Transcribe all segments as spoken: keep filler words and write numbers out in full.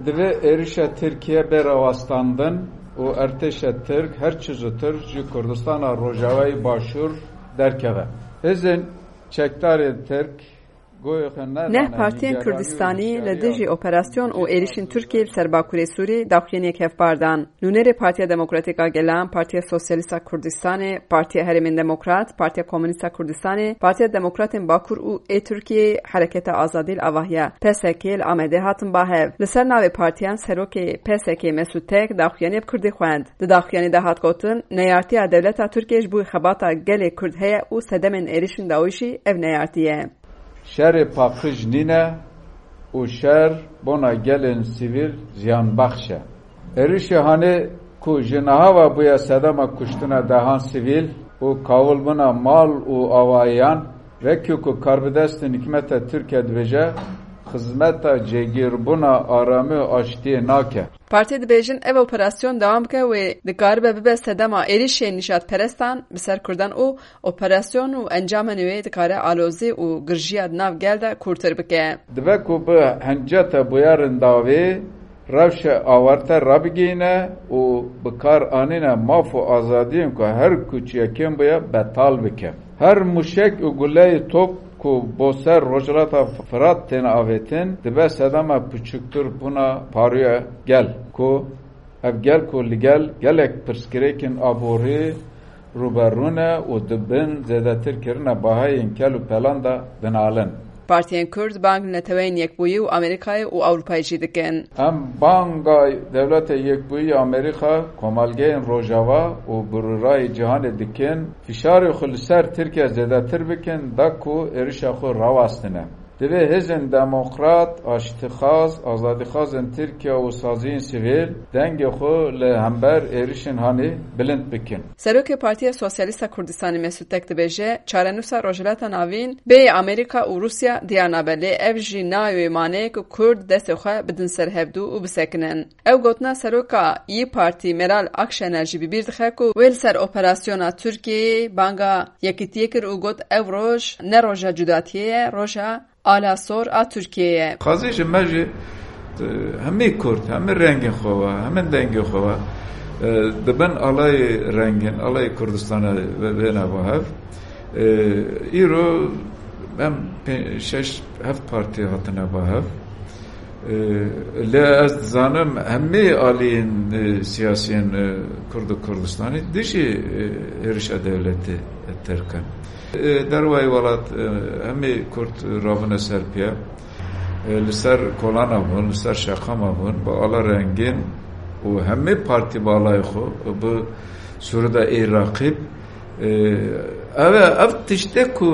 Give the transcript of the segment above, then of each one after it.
Divê êrişa Tirkiye bê rawestandin û ertêşa Tirk her çi zûtir ji Kurdistana Rojavayê Başûr derkeve. Hêzên çekdarên Tirk goyê xwe nedane. Neh partiyên Kurdistanî li dijî operasyon û êrişên Tirkiyê li ser Bakurê Sûrê daxuyaniyek hevpar dan. Nûnerê Partiya Demokratîk a Gelan, Partiya Sosyalîst a Kurdistanê, Partiya Herêmên Demokrat, Partiya Komûnîst a Kurdistanê, Partiya Demokratên Bakur û ê Tirkiyeyê, Hereketa Azadî li Avahiya, P S K, li Amedê hatin ba hev. Li ser navê partiyan serokê P S K Mesûd Tek daxuyaniyê bi kurdî xwend. Di daxuyanî de hat gotin, neyartiya dewleta Tirkiyê ji bo xebata gelê Kurd heye û sedemên êrişên dawî jî ev neyartî ye. Şerê paqij nîne û şer bona gelên sivîl ziyanbexş e. Êrişê hanê ku ji niha ve bûye sedema kuştina dehan sivîl û kawilbûna mal û avahiyan, wekî ku karbidestên hikûmeta Tirkiye dibêje, xizmeta cêgîrbûna aramî û aştiyê nake. Partiyê dibêjin ev operasyon dewam bike wê dikaribe bibe sedema êrişên nîjadperestan bi ser Kurdan û operasyon û encamên wê dikare alozî û girjiya di nav gel de kûrtir bike. Dibe ku bi hinceta bûyerên dawî rewşa awarte rabigihîne û bi kar anîne maf û azadiyên ku her ku çi yekên bûye betal bike. Her mûşek û guleyê top ku bo ser Rojhilata Firat tên avêtin, dibe sedema piçûktir bûna parûya gel, ku ev gel ku li gel gelek pirsgirêkên aborî rûberû ne û di bin zêdetirkirina bahayên kel û pelan de dinalin. Partiyên Kurd bang li Neteweyên Yekbûyî û Amerîkayê û Ewropayê jî dikin. Em banga Dewleta Yekbûyî ya Amerîka, Komelgehên Rojava û birûrayê cîhanê dikin, fişarê xwe li ser Tirkiye zêdetir bikin, da ku êrişa xwe rawestine. Divê hêzên demokrat, aştixwaz, azadîxwazên Tirkiye û saziyên sivîl dengê xwe li hember êrişên hanê bilind bikin. Serokê Partiya Sosyalîst a Kurdistanê Mesûd Tek dibêje, çarenûsa Rojhilata Navîn bê Amerîka û Rûsya diyar nabe, lê ev jî nayê wê maneyê ku Kurd destê xwe bidin ser hevdû û bisekinin. Ew gotina seroka Y Partî Meral Akşener jî bi bîr dixe ku wê li ser operasyona Tirkiyeyê banga yekîtiyê kir û got, ev roj ne roja cudatiyê ye, roja ala sor a Tirkiyeyê ye. Xwezî ji me jî, e, hemî Kurd, hemî rengên xwe ve, hemî dengê xwe ve, e, di bin alayê rengîn, alayê Kurdistana ve-, vêne ba hev. E, îro em pê-, şeş, heft partî hatine ba hev. E, lê ez dizanim hemî aliyên, e, siyasiyên, e, Kurd û Kurdistanê dijî, e, êrişa dewletê Tirk in. E, dervayî welat, e, hemî Kurd rabûne ser piya. E, li ser kolana bûn, li ser şeqama bûn, bi ala rengîn û hemî partî bi alayê xwe, bi sûrida ê raqîb. E, ev e, ev tişt e ku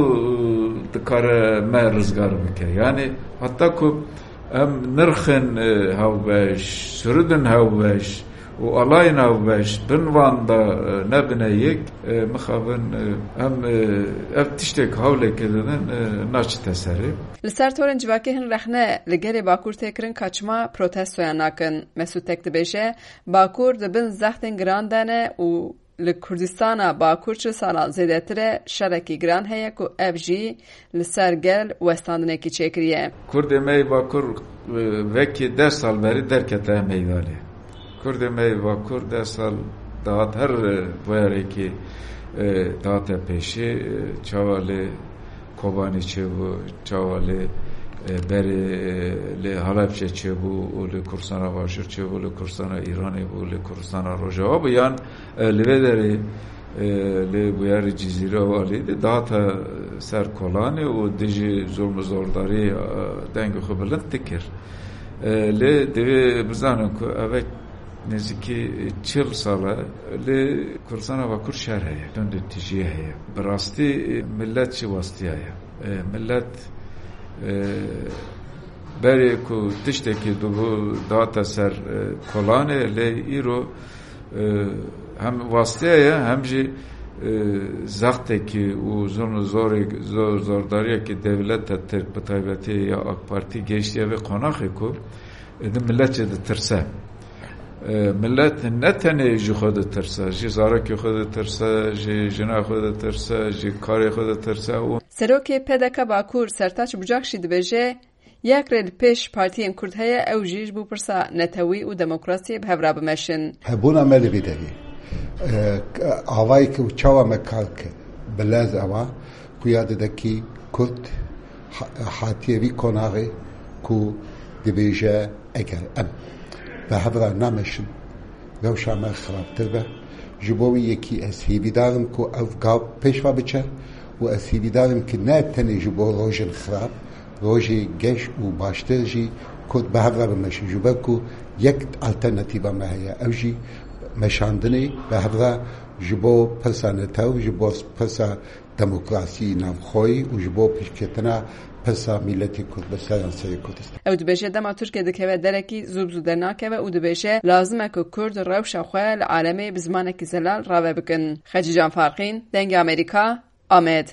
dikare me rizgar bike. Yanî heta ku em nirxên, e, hewbeş, sûridin hewbeş, û alayên hevbeş bin van de, e, nebine yek, e, mixabin, e, em, e, ev tiştek hewlekê didin, e, naçite serê. Li ser torên civakê hin rexne li gelê Bakur tê kirin ka çima protestoyan nakin. Mesûd Tek dibêje, Bakur di bin zextên giran de ne û li Kurdistana Bakur çil sala zêdetir e şerekî giran heye ku ev jî li ser gel westandinekî çêkiriye. Kurdê me yê Bakur, e, vekî deh sal berî derkete meydanê. Kurdê me yê Bakur deh sal dahat her, e, bûyerekî, e, dahate pêşî, e, çawa lê Kobanê çêbû, çawa lê, e, berê, e, lê Halebçe çêbû û lê Kurdistana Başûr çêbû, lê Kurdistana Îranê bû, lê Kurdistana Rojava bû, yan, e, li vê derê, e, lê bûyerê Cizîre û alî de dihate ser kolanê û dijî zulm û zordarî, e, dengê xwe bilind dikir. E, lê divê bizanin ku ev nêzîkî çil sal e, lê Kurdistana Bakur şer heye, tundûtijî heye. Bi rastî, e, millet jî westiyaye. E, millet, e, berê ku tiştekî dibû dihate ser, e, kolanê, lê îro, e, hem westiyaye, hem jî, e, zextekî û zulm û zorê-, zor-, zordariyekî dewleta Tirk, bi taybetî ya AK Partî, gehiştiye vê qonaxê ku, e, di millet jî ditirse. E, millet ne tenê ji xwe ditirse, ji zarokê xwe ditirse, ji jina xwe ditirse, ji karê xwe ditirse û Serokê P D K Bakur Sertaç Bucak jî dibêje, Yek rê li pêş partiyên Kurd heye, ew jî ji bo pirsa netewî û demokrasiyê bi hev re bimeşin. Hebûna me li vî derê, e, avayê ku çawa me kar kir, bi lez ewa xuya dide kî Kurd ha-, hatiye vî konaxê ku dibêje, eger em bi hev re nameşin, rewşa me xirabtir be. Ji bo wî yekî ez hêvîdar im ku ev gav pêş ve biçe û ez hêvîdar im ki ne tenê ji bo rojên xirab, rojê geş û baştir jî Kurd bi hev re bimeşin. Ji ber ku yek alternatîfa me heye, ew jî meşandinê bi hev re ji bo pirsa netew, ji bo pirsa demokrasî navxweyî û ji bo pêşketina pirsa mîletê Kurd bi seranserê Kurdistan. Ew dibêje, dema Tirkiye dikeve derekî, zû bi zû dernakeve û dibêje, lazim e ku Kurd rewşa xwe li alemê bi zimanekî zelal rave bikin. Xecîcan Farqîn, Dengê Amerîka, Amed.